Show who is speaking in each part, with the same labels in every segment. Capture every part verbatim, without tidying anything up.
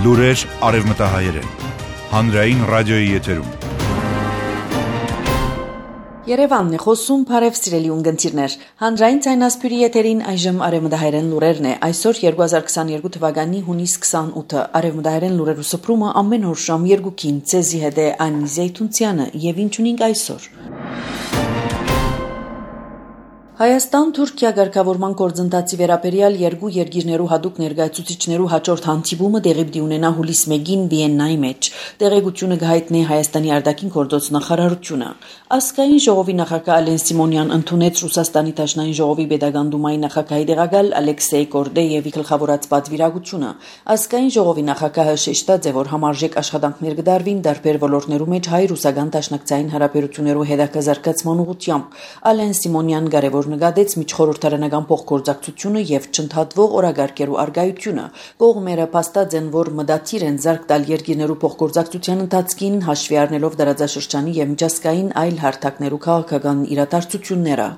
Speaker 1: Լուրեր արևմտահայերեն, հանրային ռադիոյի եթերում։
Speaker 2: Երևանն է խոսում, բարև սիրելի ունգընտիրներ։ Հանրային ցայնասպյուրի եթերին այժմ արևմտահայերեն լուրերն է։ Այսօր երկու հազար քսաներկու թվականի հունիս քսանութը արևմտահայերեն լուրերու սփռումը ամեն օր ժամ երկուքին ցեզի հետ է Անի Զեյթունցյանը եւ ինչ ունենք այսօր։ Հայաստան-Թուրքիա ղեկավարման գործընթացի վերաբերյալ երկու երկիրներու հadoop ներկայացուցիչներու հաջորդ հանդիպումը տեղի պիտի ունենա հուլիս մեկին Վիեննայի մեջ։ Տեղեկությունը կհայտնի Հայաստանի արտաքին գործոց նախարարությունը։ Ազգային ժողովի նախագահ Ալեն Սիմոնյան ընդունեց Ռուսաստանի Դաշնային ժողովի Պետական դումայի նախագահի տեղակալ Ալեքսեյ Կորդեևի գլխավորած պատվիրակությունը։ Ազգային ժողովի նախագահը շեշտած է, որ համարժեք աշխատանքներ կդարվին տարբեր ոլորտներու մեջ հայ-ռուսական դաշնակցային հարաբերություններու հետաքրքրման ուղղությամբ։ Ալեն Սիմոնյան կարևոր նկատեց միջխորհրդարանական փոխգործակցությունը եւ չընդհատվող օրագարկերու արգայությունը։ Կողմերը փաստած են, որ մտադիր են զարգ տալ երկիրներու փոխգործակցության ընթացքին հաշվի առնելով դարաձաշրջանի եւ միջազգային այլ հարթակներու քաղաքական իրադարձությունները։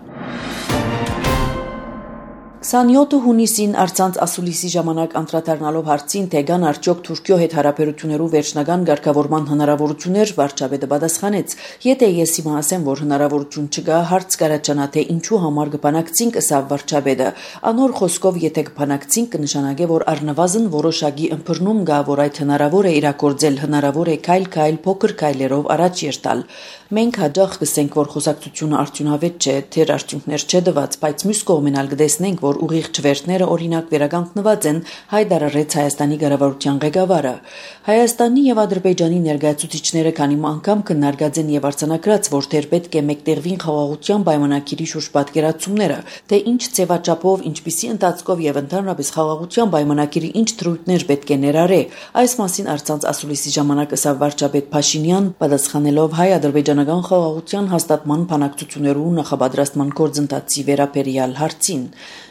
Speaker 2: քսանյոթ հունիսին արցանց ասուլիսի ժամանակ անդրադառնալով հարցին, թե կան արդյոք Թուրքիո հետ հարաբերություններու վերջնական ղեկավարման հնարավորություններ, վարչապետը պատասխանեց. «Եթե ես հիմա ասեմ, որ հնարավորություն չկա, հարց կառաջանա, թե ինչու համար կբանակցինք», ըսավ վարչապետը։ Անոր խոսքով, եթե կբանակցինք, կնշանակե, որ առնվազն որոշակի ըմբռնում կա, որ այդ հնարավոր է իրագործել, հնարավոր է քայլ-քայլ փոքր քայլերով առաջ երթալ։ Մենք հաջող կսենք, որ խոսակցությունը արդյունավետ չէ, թեր արդյունքներ չէ տված, բայց մյուս կողմեն ալ կտեսնենք, որ ուղիղ չվերթները օրինակ վերականգնված են, հայտարարեց Հայաստանի կառավարության ղեկավարը։ Հայաստանի եւ Ադրբեջանի ներկայացուցիչները քանի անգամ քննարկած են եւ արձանագրած, որ թեր պետք է մեկտեղվին խաղաղության պայմանագիրի շուրջ պատկերացումները, թե ինչ ձևաչափով, ինչպիսի ընթացքով եւ ընդհանրապես խաղաղության պայմանագիրի ինչ դրույթներ պետք է ներառե։ Այս մասին արցանց ասուլիսի ժամանակ ըսավ վարչապետ Փաշինյան, պատասխանելով հայ-ադրբեջանական խաղաղության հաստատման բանակցություններու նախապատրաստման գործընթացի վերաբերյալ հարցին։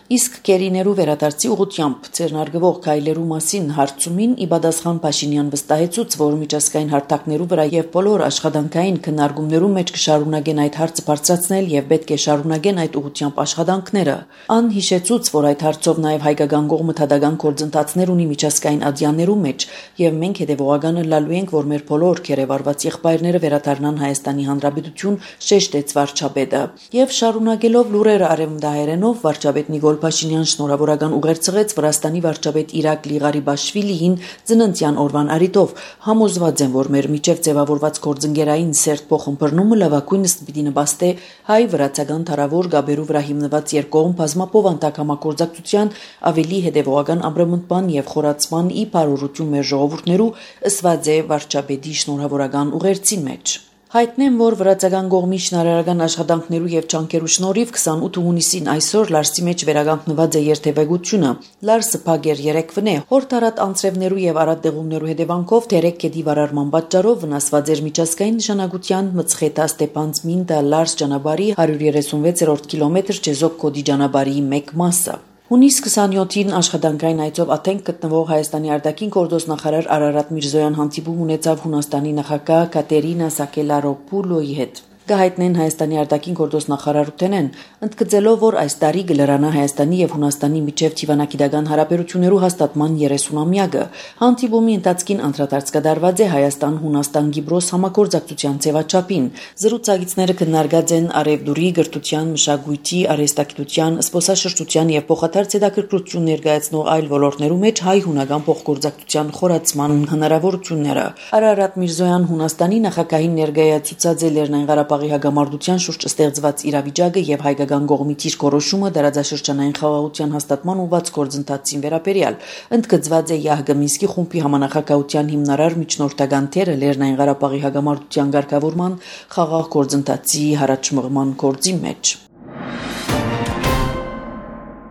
Speaker 2: Իսկ կերիներու վերադարձի ուղղությամբ ձեռնարկվող քայլերու մասին հարցումին ի պատասխան Փաշինյան վստահեցուց, որ միջազգային հարթակներու վրա եւ բոլոր աշխատանքային քննարկումներու մեջ կշարունակեն այդ հարցը բարձրացնել եւ պետք է շարունակեն այդ ուղղությամբ աշխատանքները։ Ան հիշեցուց, որ այդ հարցով նաեւ հայկական կողմը թադական գործընթացներ ունի միջազգային ադյաններու մեջ եւ մենք հետեւողական լալու ենք, որ մեր բոլոր քերեվարված եղբայրները վերադառնան Հայաստանի Հանրապետություն, շեշտեց վարչապետը։ Եվ շարունակելով լուրերը արևմտահայերենով վարչապետ Նիկոլ Փաշինյան շնորհավորական ուղերձեց Վրաստանի վարչապետ Իրակլի Ղարիբաշվիլիին ծննդյան օրվան արիտով։ Համոզված եմ, որ մեր միջև ձևավորված գործընկերային սերտ փոխըմբռնումը լավագույնս պիտի նպաստի հայ-վրացական թարավոր գաբերու վրա հիմնված երկկողմ բազմապովանտակ համագործակցության ավելի հետևողական ամրապնդման եւ խորացման ի բարօրություն մեր ժողովուրդներու, ըսված է վարչապետի շնորհավորական ուղերձի մեջ։ Հայտնեմ, որ վրացական կողմի շնարարական աշխատանքներու եւ ճանկերու շնորհիվ քսանութ հունիսին այսօր Լարսի մեջ վերականգնված է երթևեկությունը։ Լարսը փագեր երեկվն է, հորթարատ անձրևներու եւ արատեղումներու հետևանքով թերեկ կետի վարարման պատճառով վնասված էր միջազգային նշանակության Մցխետա Ստեփանցմինտա Լարս ճանապարհի հարյուր երեսունվեցերորդ կիլոմետր Չեզոք կոդի ճանապարհի մեկ մասը։ Հունիս քսանյոթին աշխատանքային այցով Աթենք գտնվող Հայաստանի արտաքին գործոս նախարար Արարատ Միրզոյան հանդիպում ունեցավ Հունաստանի նախագահ Կատերինա Սակելարոպուլոյի հետ։ Կհայտնեն Հայաստանի արտաքին գործոս նախարարութենեն, ընդգծելով, որ այս տարի կլրանա Հայաստանի եւ Հունաստանի միջև թիվանագիտական հարաբերություններու հաստատման երեսունամյակը։ Հանդիպումի ընթացքին անդրադարձ կդարված է Հայաստան-Հունաստան-Կիպրոս համագործակցության ձևաչափին։ Զրուցակիցները քննարկած են արևդուրի, գրթության, մշակույթի, արհեստագիտության, զբոսաշրջության եւ փոխադարձ հետաքրքրություն ներկայացնող այլ ոլորտներու մեջ հայ-հունական փոխգործակցության խորացման հնարավորությունները։ Արարատ Միրզոյան Հունաստանի նախագահին ներկայացուցած է Լեռնային Ղարաբաղի հագամարտության շուրջ ստեղծված իրավիճակը եւ հայկական կողմի դիրքորոշումը դարաձաշրջանային խաղաղության հաստատման ուղղված գործընթացին վերաբերյալ։ Ընդգծված է ԵԱՀԿ Մինսկի խումբի համանախագահության հիմնարար միջնորդական թերը Լեռնային Ղարաբաղի հագամարտության ղեկավարման խաղաղ գործընթացի հարաճմղման գործի մեջ։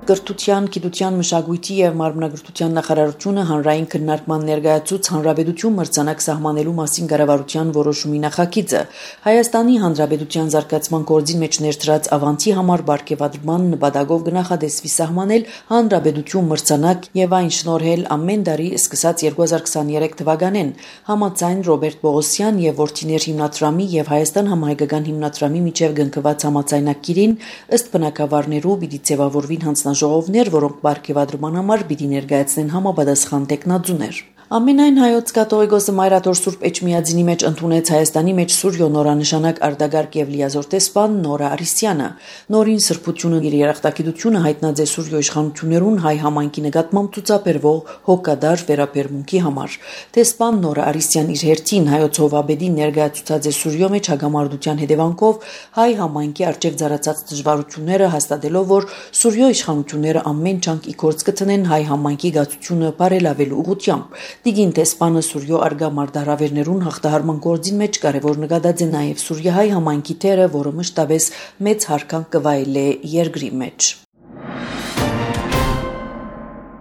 Speaker 2: Կրթության, գիտության, մշակույթի եւ մարմնագրթության նախարարությունը հանրային քննարկման ներկայացուց հանրապետություն մրցանակ սահմանելու մասին կառավարության որոշումի նախագիծը։ Հայաստանի Հանրապետության զարգացման գործի մեջ ներդրած ավանցի համար բարգեւադրման նպատակով կնախադեсվի սահմանել հանրապետություն մրցանակ եւ այն շնորհել ամեն տարի սկսած երկու հազար քսաներեք թվականին համաձայն Ռոբերտ Պողոսյան եւ Որդիներ հիմնադրամի եւ Հայաստան համահայկական հիմնադրամի միջև կնքված համաձայնագիրին ըստ բնակավարներու պիտի ձևավորվին հանձնաժողովներ, որոնք բարգեւադրման համար պիտի ներկայացնեն համապատասխան տեխնատուներ։ Ամենայն հայոց կաթողիկոսը Մայրաթոր Սուրբ Էջմիածինի մեջ ընդունեց Հայաստանի մեջ Սուրյո նորանշանակ արտագարկ եւ լիազոր տեսփան Նորա Արիսյանը։ Նորին սրբությունը իր երախտագիտությունը հայտնած է Սուրյո իշխանություններուն հայ համայնքի նկատմամբ ցուցաբերվող հոգադար վերաբերմունքի համար։ Տեսփան Նորա Արիսյան իր հերթին հայոց հովաբեդին ներկայացուցած է Սուրյո մեջ հագամարտության հետևանքով հայ համայնքի արժեվ ծառացած դժվարությունները հաստատելով, որ Սուրյո իշխանությունները ամեն չանք ի գործ կցնեն հայ համայնքի գացությունը բարելավելու ուղղությամբ։ Դիգին տեսփանը Սուրյո արգա մարտահրավերներուն հաղթահարման գործին մեջ կարևոր նկատած է նաև սուրյահայ համայնքի թերը, որը մշտապես մեծ հարկանք կվայելե երկրի մեջ։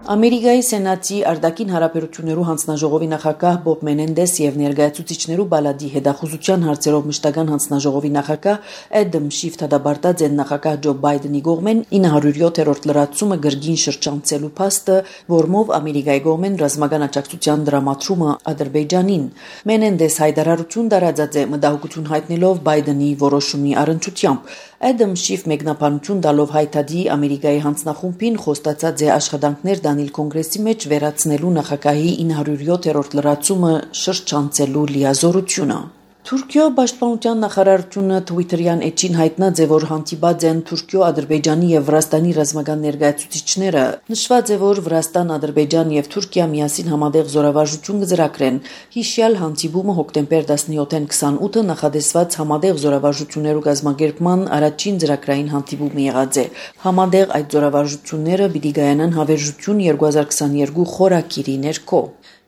Speaker 2: Ամերիկայի Սենատի արտաքին հարաբերություններու հանձնաժողովի նախագահ Բոբ Մենենդես եւ ներկայացուցիչներու բալադի հետախուզության հարցերով մշտական հանձնաժողովի նախագահ Էդամ Շիֆ դադարած են նախագահ Ջո Բայդենի կողմեն ինը հարյուր յոթերորդ լրացումը գրգին շրջանցելու փաստը, որմով Ամերիկայի կողմեն ռազմական աջակցության դրամատրումը Ադրբեջանին։ Մենենդես հայտարարություն տարածած է մտահոգություն հայտնելով Բայդենի որոշումի առնչությամբ։ Էդամ Շիֆ մեկնաբանություն տալով հայտարարի Ամերիկայի հանձնախումբին խոստացած է աշխատանքներ Դանիլ կոնգրեսի մեջ վերացնելու նախագահի ինը հարյուր յոթերորդ լրացումը շրջանցելու լիազորությունը։ Թուրքիո պաշտպանության նախարարությունը Twitter-յան էջին հայտնած է, որ հանդիպած են Թուրքիո, Ադրբեջանի եւ Վրաստանի ռազմական ներկայացուցիչները։ Նշված է, որ Վրաստան, Ադրբեջան եւ Թուրքիա միասին համատեղ զորավարժություն կձեռագրեն։ Հիշյալ հանդիպումը հոկտեմբեր տասնյոթին քսանութը նախադեсված համատեղ զորավարժություններու կազմակերպման առաջին ծրագրային հանդիպումը եղած է։ Համատեղ այդ զորավարժությունները պիտի կայանան հավերժություն երկու հազար քսաներկու խորագիրի ներքո։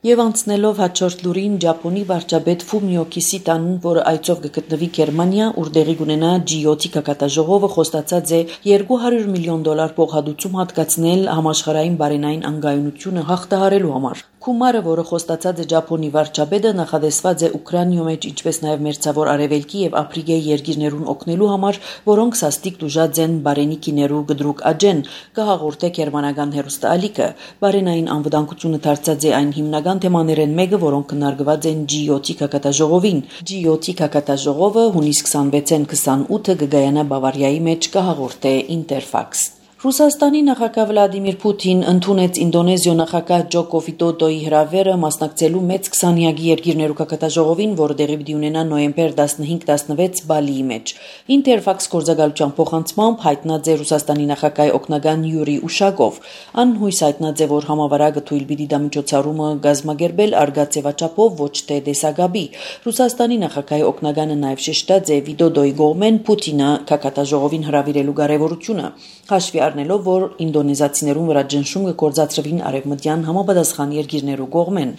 Speaker 2: Եվ անցնելով հաջորդ լուրին Ճապոնի վարչապետ Ֆումիո Կիսիդան, որը այցով կգտնվի Գերմանիա, ուր տեղի կունենա ջի յոթի կակատաժողովը, խոստացած է երկու հարյուր միլիոն դոլար փոխհատուցում հատկացնել համաշխարհային բարենային անկայունությունը հաղթահարելու համար։ Քումարը, որը խոստացած է Ճապոնի վարչապետը, նախադեсված է Ուկրաինայո մեջ, ինչպես նաև Մերձավոր Արևելքի եւ Աֆրիկայի երկիրներուն օգնելու համար, որոնք սաստիկ դուժած են բարենիքիներու գդրուկ աջեն, կհաղորդե գերմանական հերոստալիկը։ Բարենային անվտանգությունը դարձած է այն հիմնական թեմաներեն մեկը, որոնք քննարկված են ջի յոթի կակատաժողովին։ ջի յոթի կակատաժողովը հունիս քսանվեցին քսանութը կգայանա Բավարիայի մեջ, կհաղորդե Ինտերֆաքս։ Ռուսաստանի նախագահ Վլադիմիր Պուտին ընդունեց Ինդոնեզիո նախագահ Ջոկո Վիդոդոյի հրավերը մասնակցելու մեծ քսանյակի երկիրներու կակատաժողովին, որը տեղի պիտի ունենա նոյեմբեր տասնհինգ տասնվեց Բալիի մեջ։ Ինտերֆաքս գործակալության փոխանցմամբ հայտնած է Ռուսաստանի նախագահի օգնական Յուրի Ուշակով։ Ան հույս հայտնած է, որ համավարակը թույլ պիտի դա միջոցառումը գազմագերբել արգացեվաչափով, ոչ թե դեսագաբի։ Ռուսաստանի նախագահի օգնականը նաև շեշտած է Վիդոդոյի կողմեն Պուտինը կակատաժողովին հրավիրելու կարևորությունը։ Հաշվի առնելով, որ ինդոնեզացիներուն վրա ճնշում կգործածրվին արևմտյան համապատասխան երկիրներու կողմեն։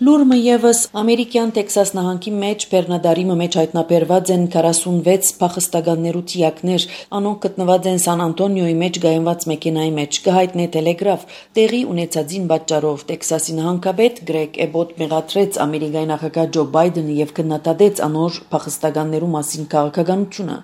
Speaker 2: Լուրը եւս ամերիկյան Տեքսաս նահանգի մեջ Բեռնադարիմը մեջ հայտնաբերված են քառասունվեց փախստականներու թիակներ, անոնք գտնված են Սան Անտոնիոյի մեջ գայնված մեքենայի մեջ, կհայտնե Տելեգրաֆ։ Տեղի ունեցածին պատճառով Տեքսասի նահանգապետ Գրեգ Էբոտ մեղադրեց Ամերիկայի նախագահ Ջո Բայդենը եւ քննադատեց անոր փախստականներու մասին քաղաքականությունը։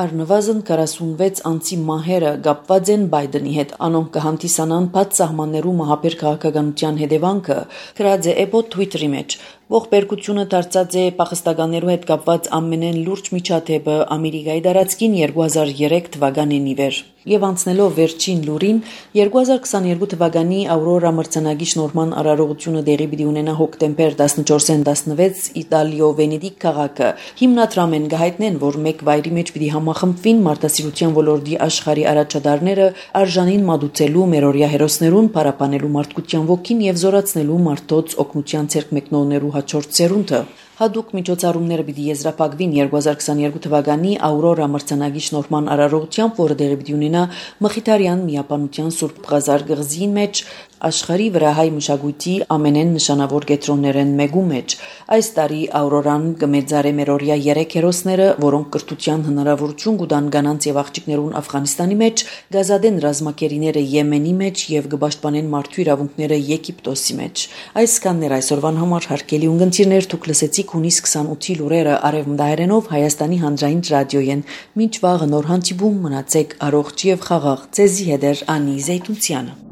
Speaker 2: Առնվազն քառասունվեց անձի մահերը կապված են Բայդենի հետ, անոնք կհանդիսանան բաց սահմաններու մահաբեր քաղաքականության հետևանքը, գրած է Էբոտ Twitter-ի մեջ։ Ողբերգությունը դարձած է փախստականներու հետ կապված ամենեն լուրջ միջադեպը Ամերիկայի տարածքին երկու հազար երեք թվականին ի վեր։ Եվ անցնելով վերջին լուրին, երկու հազար քսաներկու թվականի Աուրորա մրցանակի շնորհման արարողությունը տեղի պիտի ունենա հոկտեմբեր տասնչորսին տասնվեց Իտալիո Վենետիկ քաղաքը։ Հիմնադրամեն կհայտնեն, որ մեկ վայրի մեջ պիտի համախմբվին մարդասիրության ոլորտի աշխարհի առաջադարները արժանին մատուցելու մերօրյա հերոսներուն, պարապանելու մարդկության ոգին եւ զորացնելու մարդոց օգնության ցերկ մեկնողներու հաջորդ սերունդը։ Հadouk միջոցառումները պիտի եզրափակվին երկու հազար քսաներկու թվականի Աուրորա մրցանակի շնորհման արարողությամբ, որը տեղի պիտի ունենա Մխիթարյան միապանության Սուրբ Ղազար գղզիի մեջ, աշխարհի վրա հայ մշակույթի ամենեն նշանավոր կետրոններեն մեկու մեջ։ Այս տարի Աուրորան կմեծարե մերօրյա երեք հերոսները, որոնք կրթության հնարավորություն կտան կանանց եւ աղջիկներուն Աֆղանիստանի մեջ, գազադեն ռազմակերիները Եմենի մեջ եւ կպաշտպանեն մարդու իրավունքները Եգիպտոսի մեջ։ Այսքաններ այսօրվան համար հարգելի ունգընտիրներ, դուք լսեցիք հունիս քսանութի լուրերը արևմտահայերենով Հայաստանի հանրային ռադիոյեն։ Մինչ վաղը նոր հանդիպում, մնացեք առողջ եւ խաղաղ։ Ձեզի հետ է Անի Զեյթունցյանը։